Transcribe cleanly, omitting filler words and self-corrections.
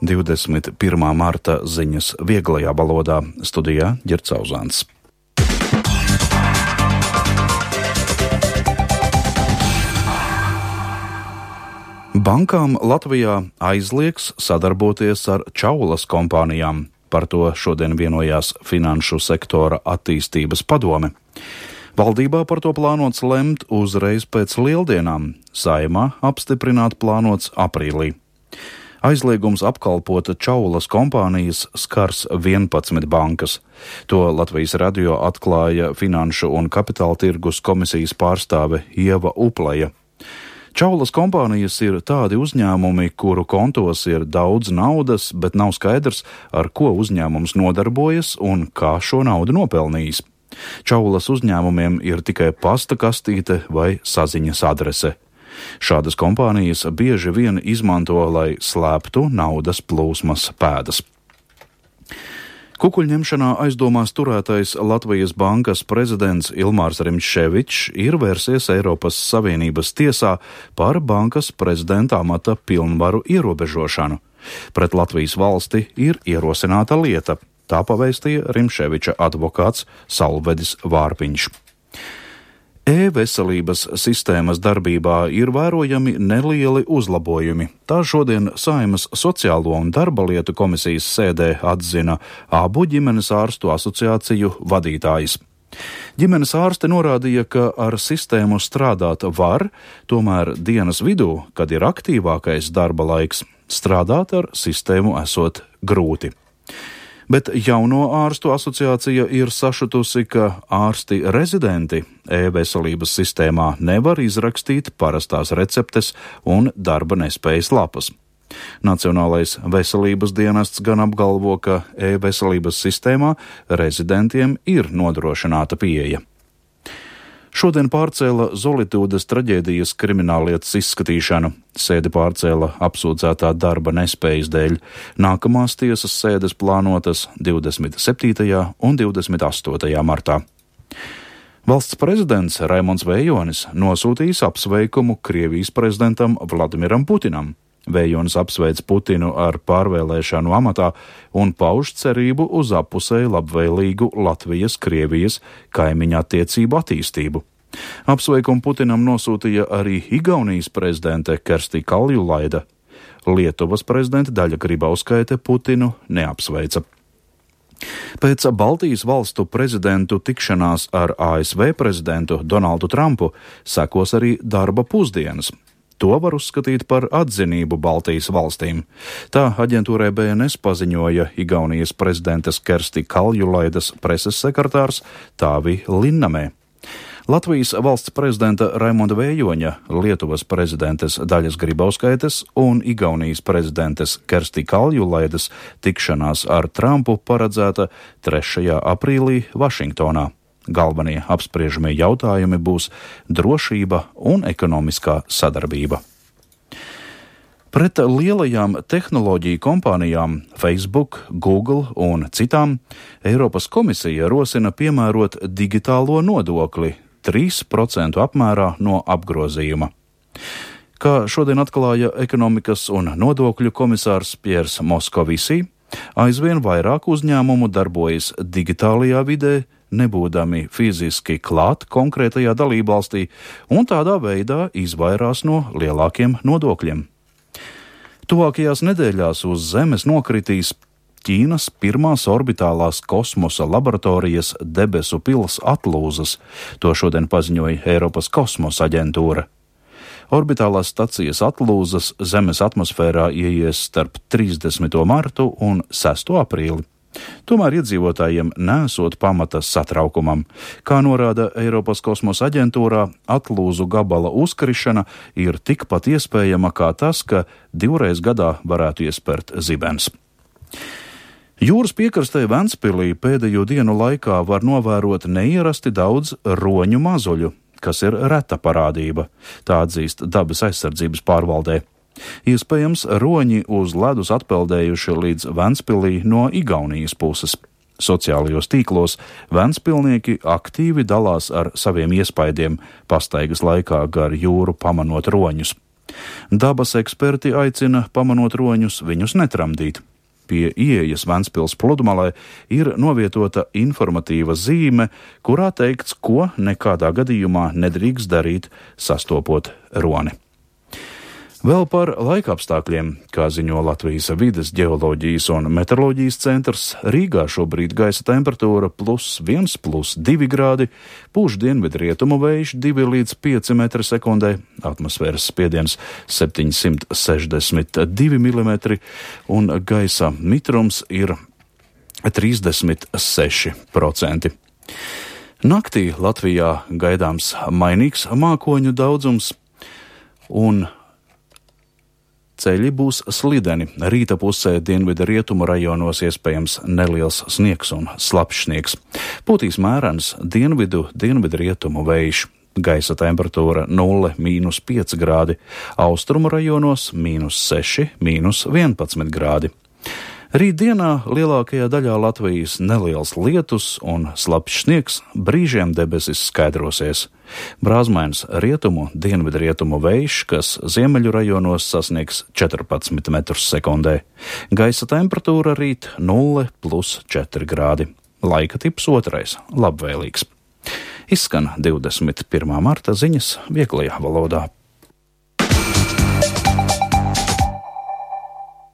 21. marta ziņas vieglajā valodā, studijā Ģerts Auzāns. Bankām Latvijā aizliegs sadarboties ar čaulas kompānijām. Par to šodien vienojās Finanšu sektora attīstības padome. Valdībā par to plānots lemt uzreiz pēc Lieldienām, Saeimā apstiprināt plānots aprīlī. Aizliegums apkalpot čaulas kompānijas skars 11 bankas. To Latvijas radio atklāja Finanšu un kapitāla tirgus komisijas pārstāve Ieva Upleja. Čaulas kompānijas ir tādi uzņēmumi, kuru kontos ir daudz naudas, bet nav skaidrs, ar ko uzņēmums nodarbojas un kā šo naudu nopelnījis. Čaulas uzņēmumiem ir tikai pasta kastīte vai saziņas adrese. Šādas kompānijas bieži vien izmanto, lai slēptu naudas plūsmas pēdas. Kukuļņemšanā aizdomās turētais Latvijas bankas prezidents Ilmārs Rimševičs ir vērsies Eiropas Savienības tiesā par bankas prezidenta amata pilnvaru ierobežošanu. Pret Latvijas valsti ir ierosināta lieta, tā pavēstīja Rimševiča advokāts Salvedis Vārpiņš. E-veselības sistēmas darbībā ir vērojami nelieli uzlabojumi. Tā šodien Saeimas Sociālo un darba lietu komisijas sēdē atzina abu ģimenes ārstu asociāciju vadītājs. Ģimenes ārste norādīja, ka ar sistēmu strādāt var, tomēr dienas vidū, kad ir aktīvākais darba laiks, strādāt ar sistēmu esot grūti. Bet jauno ārstu asociācija ir sašutusi, ka ārsti rezidenti e-veselības sistēmā nevar izrakstīt parastās receptes un darba nespējas lapas. Nacionālais veselības dienests gan apgalvo, ka e-veselības sistēmā rezidentiem ir nodrošināta pieeja. Šodien pārcēla Zolitūdes traģēdijas krimināllietas izskatīšanu. Sēdi pārcēla apsūdzētā darba nespējas dēļ. Nākamās tiesas sēdes plānotas 27. un 28. martā. Valsts prezidents Raimonds Vējonis nosūtījis apsveikumu Krievijas prezidentam Vladimiram Putinam. Vējonis apsveic Putinu ar pārvēlēšanu amatā un pauž cerību uz appusēji labvēlīgu Latvijas-Krievijas kaimiņa attiecību attīstību. Apsveikumu Putinam nosūtīja arī Igaunijas prezidente Kersti Kaljulaida. Lietuvas prezidente Daļa Grybauskaite Putinu neapsveica. Pēc Baltijas valstu prezidentu tikšanās ar ASV prezidentu Donaldu Trumpu sekos arī darba pusdienas. To var uzskatīt par atzinību Baltijas valstīm. Tā aģentūrai BNS paziņoja Igaunijas prezidentes Kersti Kaljulaidas preses sekretārs Tāvi Linnamē. Latvijas valsts prezidenta Raimonda Vējoņa, Lietuvas prezidentes Daļas Grybauskaites un Igaunijas prezidentes Kersti Kaljulaidas tikšanās ar Trumpu paredzēta 3. aprīlī Vašingtonā. Galvenie apspriežamie jautājumi būs drošība un ekonomiskā sadarbība. Pret lielajām tehnoloģiju kompānijām Facebook, Google un citām Eiropas komisija rosina piemērot digitālo nodokli 3% apmērā no apgrozījuma. Kā šodien atklāja ekonomikas un nodokļu komisārs Piers Moskovisī, aizvien vairāk uzņēmumu darbojas digitālajā vidē, nebūdami fiziski klāt konkrētajā dalībvalstī un tādā veidā izvairās no lielākiem nodokļiem. Tuvākajās nedēļās uz Zemes nokritīs Ķīnas pirmās orbitālās kosmosa laboratorijas debesu pils atlūzas, to šodien paziņoja Eiropas kosmosa aģentūra. Orbitālās stacijas atlūzas Zemes atmosfērā ieies starp 30. martu un 6. aprīli. Tomēr iedzīvotājiem nesot pamata satraukumam. Kā norāda Eiropas kosmosa aģentūrā, atlūzu gabala uzkrišana ir tikpat iespējama kā tas, ka 2 gadā varētu iespērt zibens. Jūras piekrastē Ventspilī pēdējo dienu laikā var novērot neierasti daudz roņu mazuļu, kas ir reta parādība, tā atzīst dabas aizsardzības pārvaldē. Iespējams, roņi uz ledus atpeldējuši līdz Ventspilī no Igaunijas puses. Sociālajos tīklos ventspilnieki aktīvi dalās ar saviem iespaidiem pastaigas laikā gar jūru pamanot roņus. Dabas eksperti aicina, pamanot roņus, viņus netramdīt. Pie ieejas Ventspils pludmalē ir novietota informatīva zīme, kurā teikts, ko nekādā gadījumā nedrīkst darīt, sastopot roni. Vēl par laikapstākļiem, kā ziņo Latvijas vides ģeoloģijas un meteoroloģijas centrs, Rīgā šobrīd gaisa temperatūra +1, +2 grādi, pūš dienvidrietumu vējš 2 līdz 5 m/sekundē, atmosfēras spiediens 762 mm un gaisa mitrums ir 36%. Naktī Latvijā gaidāms mainīgs mākoņu daudzums un ceļi būs slideni. Rīta pusē dienvidu rietumu rajonos iespējams neliels sniegs un slapjš sniegs. Pūtīs mērens dienvidu rietumu vējš. Gaisa temperatūra 0–5 grādi. Austrumu rajonos -6, -11 grādi. Rītdienā lielākajā daļā Latvijas neliels lietus un slapjš sniegs, brīžiem debesis skaidrosies. Brāzmains dienvidrietumu vējš, kas ziemeļu rajonos sasniegs 14 m/sekundē. Gaisa temperatūra rīt 0+4 grādi. Laika tips 2. labvēlīgs. Izskan 21. marta ziņas vieglajā valodā.